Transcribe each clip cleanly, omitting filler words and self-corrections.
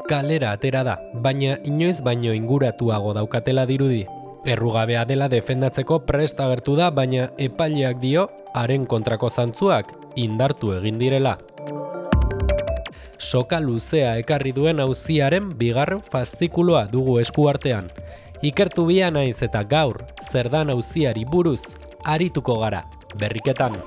kalera atera da, baina inoiz baino inguratuago daukatela dirudi. Errugabea dela defendatzeko prest agertu da, baina epaileak dio haren kontrako zantzuak indartu egin direla. Soka luzea ekarri duen auziaren bigarren faszikuloa dugu eskuartean. Ikertu bia naiz eta gaur, zer dan auziari buruz, arituko gara, berriketan.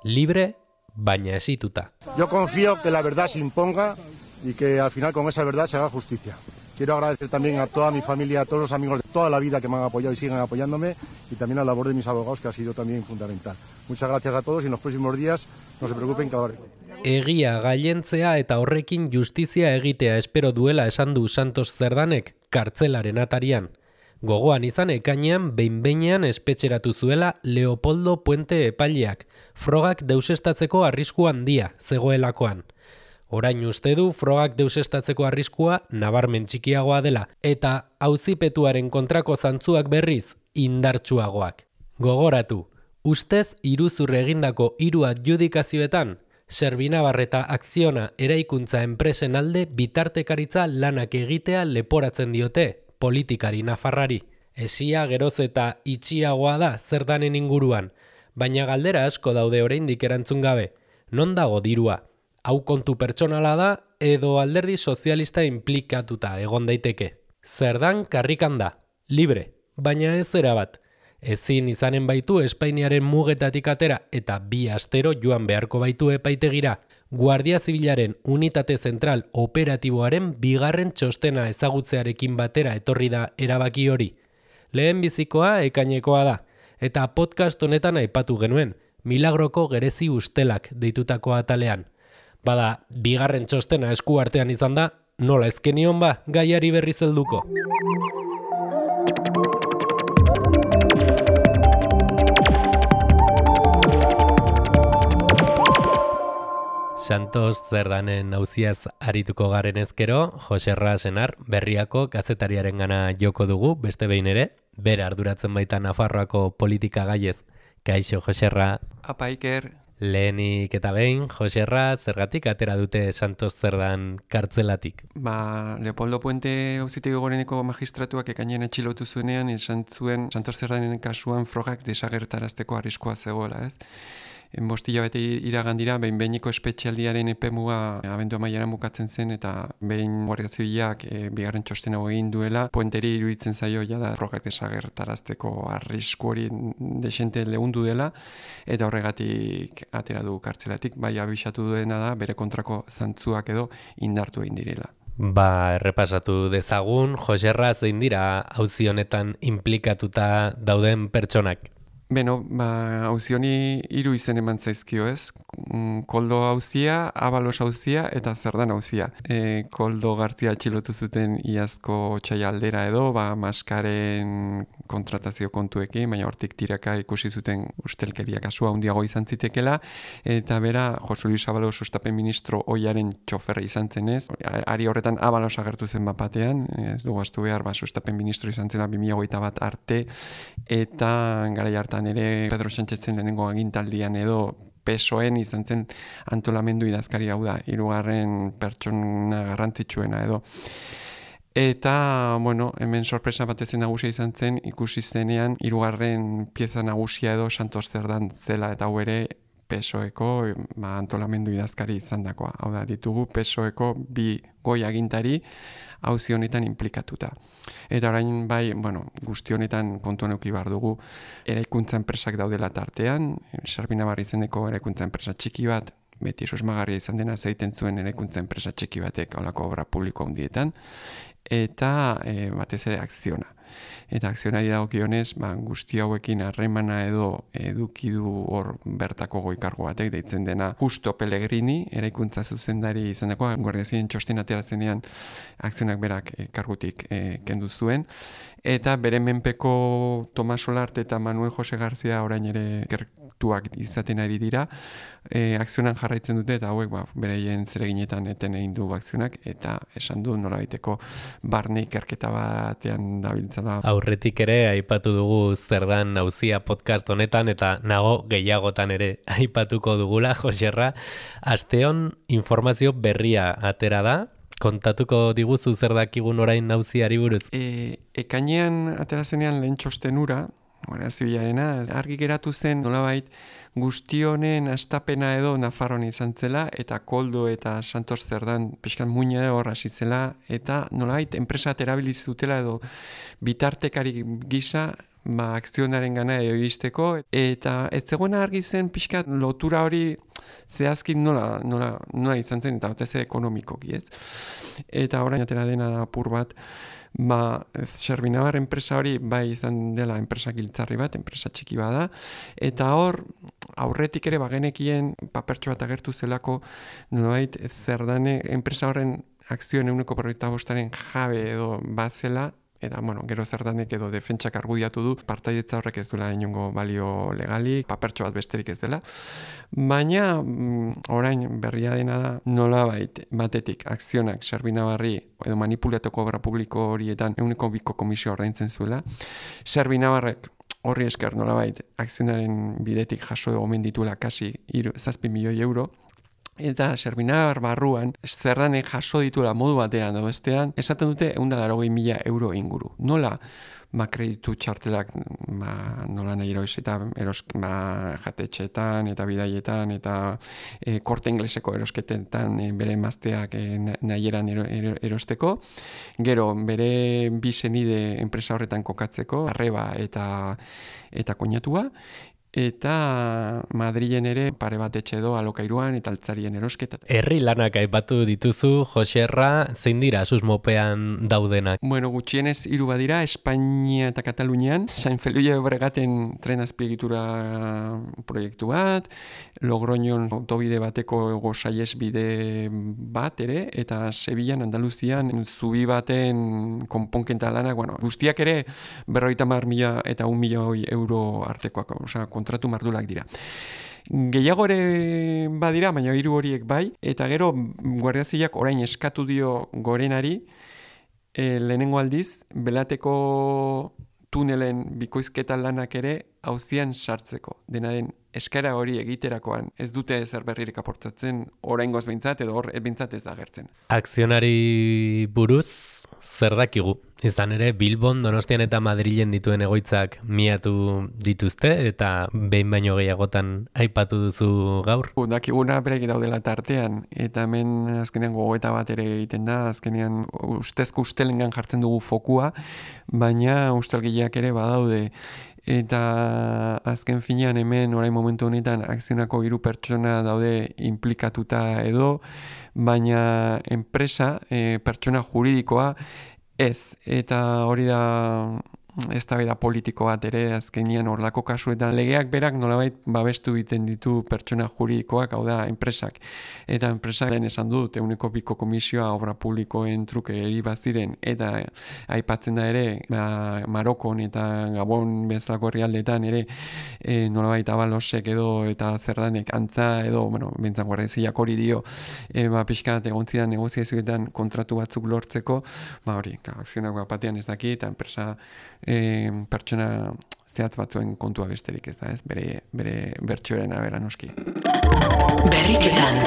Libre, baina esituta. Yo confío que la verdad se imponga y que al final con esa verdad se haga justicia. Quiero agradecer también a toda mi familia, a todos los amigos de toda la vida que me han apoyado y siguen apoyándome y también a la labor de mis abogados que ha sido también fundamental. Muchas gracias a todos y en los próximos días no se preocupen que hablaré. Egia gailentzea eta horrekin justizia egitea espero duela esan du Santos Zerdanek kartzelaren atarian. Gogoan izan ekainean behin-behinean espetxeratu zuela Leopoldo Puente epaileak, frogak deusestatzeko arrisku handia zegoelakoan. Orain uste du frogak deusestatzeko arriskua nabarmen txikiagoa dela eta auzipetuaren kontrako zantzuak berriz indartsuagoak. Gogoratu, ustez iruzur egindako 3 adjudikazioetan Servinabar eta Akziona eraikuntza enpresen alde bitartekaritza lanak egitea leporatzen diote politikari nafarrari. Esia geroz eta itxiagoa da Zerdanen inguruan, baina galdera asko daude oraindik erantzun gabe. Non dago dirua? Hau kontu pertsonala da edo alderdi sozialista implikatuta egon daiteke. Zerdan karrikan da, libre, baina ez erabat. Ezin izanen baitu Espainiaren mugetatik atera eta 2 astero joan beharko baitu epaitegira. Guardia Zibilaren unitate zentral operatiboaren bigarren txostena ezagutzearekin batera etorri da erabaki hori. Lehen bizikoa ekainekoa da, eta podcast honetan aipatu genuen, Milagroko gerezi ustelak deitutako atalean. Bada, bigarren txostena esku artean izan da, nola ezkenion ba, gaiari berriz helduko. Santos Zerdanen auziaz arituko garen ezkero, Joserra Senar Berriako kazetariaren gana joko dugu, beste behin ere, bera arduratzen baita Nafarroako politika gaiez. Kaixo, Joserra. Apa, Iker. Lehenik eta behin, Joserra, zergatik atera dute Santos Zerdan kartzelatik? Leopoldo Puente auzitegi goreneko magistratuak ekainean atxilotu zuenean, esan zuen Santos Zerdanen kasuan frogak desagertarazteko arriskoa zegoela, ez? Bostila bete iragandira, behin-behiniko espetxialdiaren epemuga abendu amaieran bukatzen zen eta behin Guardia Zibilak bigarren txostena egin duela, Puenteri iruditzen zaio da frogak desagertarazteko arrisku hori desente lehundu dela eta horregatik atera du kartzelatik, bai abisatu duena da bere kontrako zantzuak edo indartu egin direla. Errepasatu dezagun, Joserra, zein dira auzi honetan implikatuta dauden pertsonak? Beno, auzi honi 3 izen eman zaizkio, ez? Koldo auzia, Abalos auzia eta Zerdan auzia. Koldo Gartzia atxilotu zuten iazko txaialdera edo, maskaren kontratazio kontuekin, baina hortik tiraka ikusi zuten ustelkeria kasua handiago izan zitekela, eta bera, Jose Luis Abalos sustapen ministro ohiaren txoferra izan zen ez. Ari horretan Abalos agertu zen bapatean, ez dugu astu behar, sustapen ministro izan zela 2021 arte, eta garai hartan ere Pedro Sánchezen lehenengo agintaldian edo PSOEn izan zen antolamendu idazkari hau da, 3. pertsona garrantzitsuena edo. Eta, hemen sorpresa batezen nagusia izan zen, ikusi zenean 3. pieza nagusia edo Santos Zerdan zela eta hau ere PSOeko antolamendu idazkari izan dakoa. Hau da, ditugu PSOeko 2 goi agintari auzi honetan implikatuta. Eta orain bai, guzti honetan kontuan eduki behar dugu eraikuntza enpresak daudela tartean, Servinabar izeneko eraikuntza enpresa txiki bat, beti susmagarria izan dena zeiten zuen eraikuntza enpresa txiki batek holako obra publiko handietan, eta batez ere Akziona. Eta Akzionari dagokionez, guzti hauekin harremana edo eduki du hor bertako goi-kargo batek deitzen dena Justo Pellegrini, eraikuntza zuzendari izan dagoa, Guardia Zibilen txosten aterazenean Akzionak berak kargutik kendu zuen. Eta bere menpeko Tomas Solarte eta Manuel Jose Garzia orain ere gertuak izaten ari dira, Akzionan jarraitzen dute eta hauek bereien zereginetan eten egin du Akzionak eta esan du norabaiteko barne ikerketa batean dabiltzala da. Aurretik ere aipatu dugu zer dan auzia podcast honetan eta nago gehiagotan ere aipatuko dugula, Joserra. Asteon informazio berria atera da. Kontatuko diguzu zer dakigun orain auziari buruz? Ekainean atera zenean lehen txostenura, Guardia Zibilarena, argi geratu zen nolabait guztionen astapena edo Nafarroan izan zela eta Koldo eta Santos Zerdan pixkan muina hor hasi zela eta nolabait enpresa erabiliz zutela edo bitartekari gisa akzionaren gana edo iristeko eta ez zegoena argi zen pixkat lotura hori zehazkin nola izan zen eta batez ekonomikoki, ez? Eta orain atera dena da apur bat Xerbinabar enpresa hori bai izan dela enpresa giltzarri bat, enpresa txiki bada, eta hor aurretik ere bagenekien papertxo bat agertu zelako nolabait Zerdane enpresa horren akzioen 45%aren jabe edo bazela, eta gero Zerdanek edo defentsak argudiatu du partaidetza horrek ez duela inongo balio legalik, papertxo bat besterik ez dela. Baina orain berria dena da nolabait batetik akzionak Xerbinabarri edo manipulatoko obra publiko horietan 2% komisio ordaintzen zuela. Xerbinabarrek horri esker nolabait akzionaren bidetik jaso omen dituela kasi 7 milioi euro. Eta Xerbinabar barruan, Zerdanek jaso dituela modu batean edo bestean, esaten dute 180.000 euro inguru. Nola kreditu txartelak nola nahi jatetxeetan eta bidaietan eta korte ingleseko erosketetan bere emazteak nahieran erosteko. Gero bere bi senide enpresa horretan kokatzeko, arreba eta koinatua. Eta Madrilen ere pare bat etxe edo alokairuan eta altzarien erosketa. Herri lanak aipatu dituzu, Joserra, zein dira susmopean daudenak? Gutxienez 3 badira, Espainia eta Katalunian, San Feliu de Llobregaten tren azpiegitura proiektu bat, Logroñon autobide bateko ego saihesbide bat ere, eta Sevillan, Andaluzian, zubi baten konponketa lanak, guztiak ere 50.000 eta 1 milioi euro artekoak, kontratu mardulak dira. Gehiago ere badira, baina 3 horiek bai, eta gero Guardia Zibilak orain eskatu dio Gorenari lehenengo aldiz, Belateko tunelen bikoizketa lanak ere auzian sartzeko. Dena den eskaera hori egiterakoan ez dute ezer berririk aportatzen, oraingoz behintzat edo hor behintzat ez da agertzen. Akzionari buruz zer dakigu? Izan ere, Bilbon, Donostian eta Madrilen dituen egoitzak miatu dituzte eta behin baino gehiagotan aipatu duzu gaur? Dakiguna berek daudela tartean eta hemen azkenean gogoeta bat ere egiten da, azkenean ustezko ustelengan jartzen dugu fokua, baina ustelgileak ere badaude. Eta azken finean hemen orain momentu honetan akzionako 3 pertsona daude implikatuta edo, baina enpresa, pertsona juridikoa ez, eta hori da eztabaida politiko bat ere azkenian horlako kasuetan legeak berak nolabait babestu egiten ditu pertsona juridikoak, hau da enpresak. Eta enpresak lehen esan dut 2% komisioa obra publikoen truke eri baziren eta aipatzen da ere Marokon eta Gabon bezalako herrialdeetan ere nolabait Abalosek edo eta Zerdanek antza edo, bentzan Guardia Zibilak hori dio pixkat egontzidan negoziazioetan kontratu batzuk lortzeko, hori, akzionak batean ez daki eta enpresa pertsona zehatz batzuen kontua besterik ez da, ez? Bere bertsioaren arabera noski. Berriketan.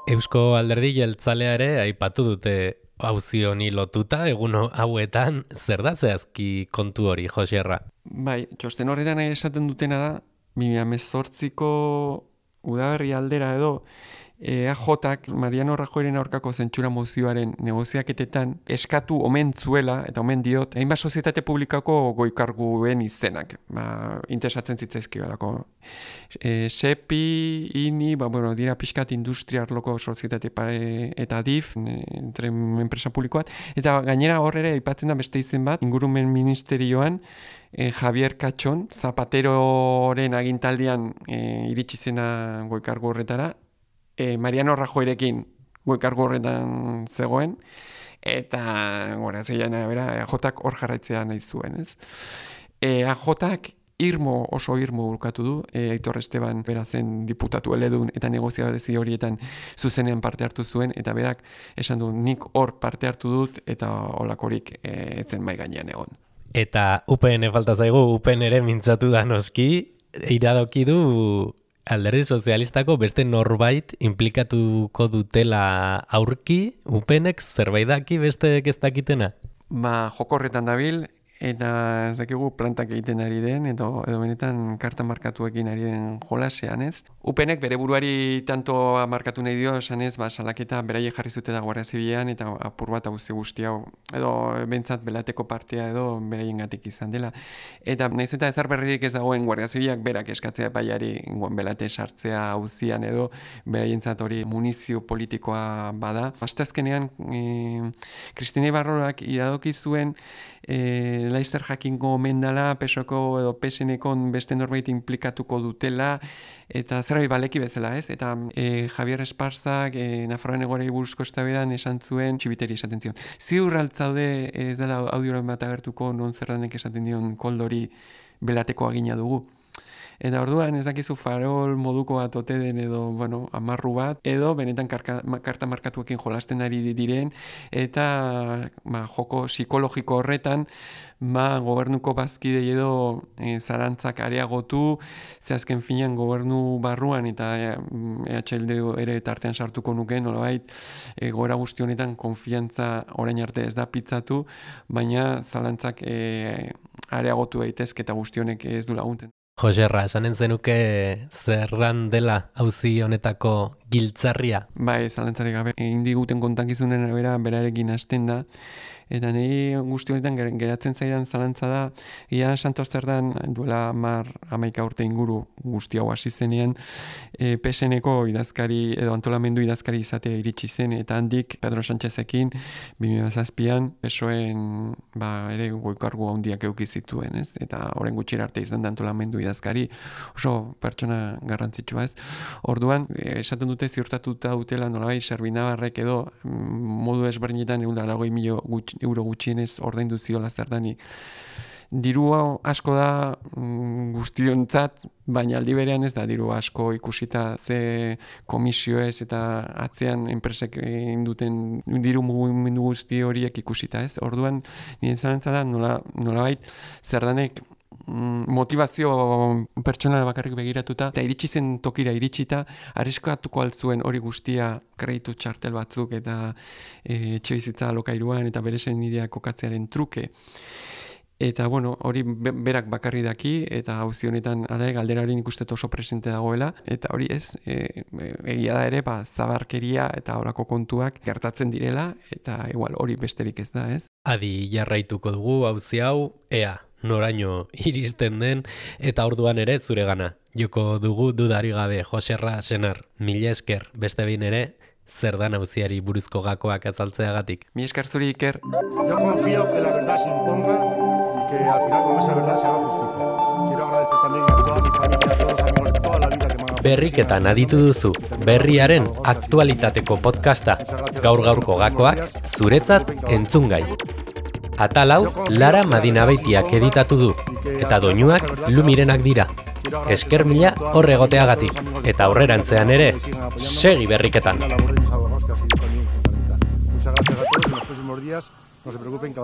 Eusko Alderdi Jeltzalea ere aipatu dute auzi honi lotuta egun hauetan, zer da zehazki kontu hori, Joserra? Bai, txosten horretan esaten dutena da 2018ko udaberri aldera edo EAJak Mariano Rajoyren aurkako zentsura mozioaren negoziaketetan eskatu omen zuela, eta omen diot, hainbat sozietate publikako goikarguen izenak, interesatzen zitzaizkiolako. SEPI, INI, dira pixkat industriarloko sozietate eta DIF, enpresa publikoat, eta gainera horrere aipatzen da beste izen bat, ingurumen ministerioan, Javier Katxon, Zapateroren agintaldian iritsi zena goikargu horretara, Mariano Rajoyrekin goikargu horretan zegoen, eta Guardia Zibilaren arabera EAJak hor jarraitzea nahi zuen, ez? EAJak oso irmo burkatu du, Aitor Esteban bera zen diputatu eledun eta negoziazio horietan zuzenean parte hartu zuen, eta berak esan du nik hor parte hartu dut eta holakorik etzen mai gainean egon. Eta UPN falta zaigu, UPN ere mintzatu da noski, iradoki du Alderdi Sozialistako beste norbait implikatuko dutela aurki, UPNek zerbait daki besteek ez dakitena? Jokorretan dabil, eta ez dakigu plantak egiten ari den, edo benetan karta markatuekin ari den jolasean, ez? UPNek bere buruari tanto markatu nahi dio, esan ez, salaketa beraiek jarri zute da Guardia Zibilean, eta apur bat guzti hau, edo bentsat belateko partea edo beraiengatik izan dela. Eta nahiz eta ezer berririk ez dagoen Guardia Zibilak berak eskatzea epaiari belate sartzea auzian edo beraientzat hori munizio politikoa bada. Asteazkenean, Kristina Ibarrorak iradoki zuen Laster jakingo omen dela, PSOko edo PSNeko beste norbait implikatuko dutela, eta zerbait baleki bezala, ez? Eta Javier Esparzak Nafarroan egorei buruzko eztabaidan esan zuen txibiteri esaten zion. Ziur altzaude ez dela audioren bat agertuko non Zerdanek esaten dion koldori belateko agina dugu. Eta orduan ez dakizu farol moduko bat ote den edo, amarru bat, edo benetan karta markatuekin jolasten ari diren, eta joko psikologiko horretan, gobernuko bazkidei edo zarantzak areagotu, ze azken finean gobernu barruan eta EHLD ere tartean sartuko nuke, nolabait, goera guzti honetan konfiantza orain arte ez da pitzatu, baina zalantzak areagotu daitezke eta guzti honek ez du laguntzen. Joserra, esanen zenuke Zerdan dela auzi honetako giltzarria? Bai, zalantzarik gabe. Indiguten kontakizunen arabera berarekin hasten da, eta niri guzti honetan geratzen zaidan zalantza da, ia Santos Zerdan duela 11 urte inguru guzti hau hasi zenean, PSNeko idazkari edo antolamendu idazkari izatea iritsi zen, eta handik Pedro Sánchezekin 2007an PSOEen ere goikargu handiak eduki zituen, ez? Eta orain gutxira arte izan da antolamendu idazkari oso pertsona garrantzitsua, ez? Orduan, esaten dute ziurtatuta dutela nolabait Serbinabarrek edo modu ezberdinetan 180.000 euro gutxienez ordaindu ziola Zerdani. Diru asko da guztiontzat, baina aldi berean ez da diru asko ikusita ze komisioez eta atzean enpresek induten diru mugimendu guzti horiek ikusita, ez? Orduan, nire zalantza da nolabait Zerdanek motivazio pertsonala bakarrik begiratuta eta iritsi zen tokira iritsita arriskatuko altzuen hori guztia kreditu txartel batzuk eta etxebizitza alokairuan eta bere senideak kokatzearen truke. Eta hori berak bakarri daki eta auzi honetan galdera hori ikustet oso presente dagoela eta hori ez, egia da ere zabarkeria eta horako kontuak gertatzen direla eta igual hori besterik ez da, ez? Adi jarraituko dugu auzi hau, ea noraino iristen den eta orduan ere zuregana. Joko dugu dudari gabe Joserra Senar, mila esker beste behin ere Zerdan auziari buruzko gakoak azaltzeagatik. Mila esker zuri Iker. Yo confío que la verdad se imponga y que al final con esa verdad se haga justicia. Quiero agradecer también a toda mi familia, a todos los amigos de toda la vida que me han... Berriketan aditu duzu, berriaren aktualitateko podcasta, gaur-gaurko gakoak zuretzat entzungai. Atalau Lara Madinabeitiak editatu du, eta doinuak Lumirenak dira. Esker mila hor egoteagatik, eta aurrerantzean ere, segi berriketan. Muchas gracias a todos y en los próximos días no se preocupen que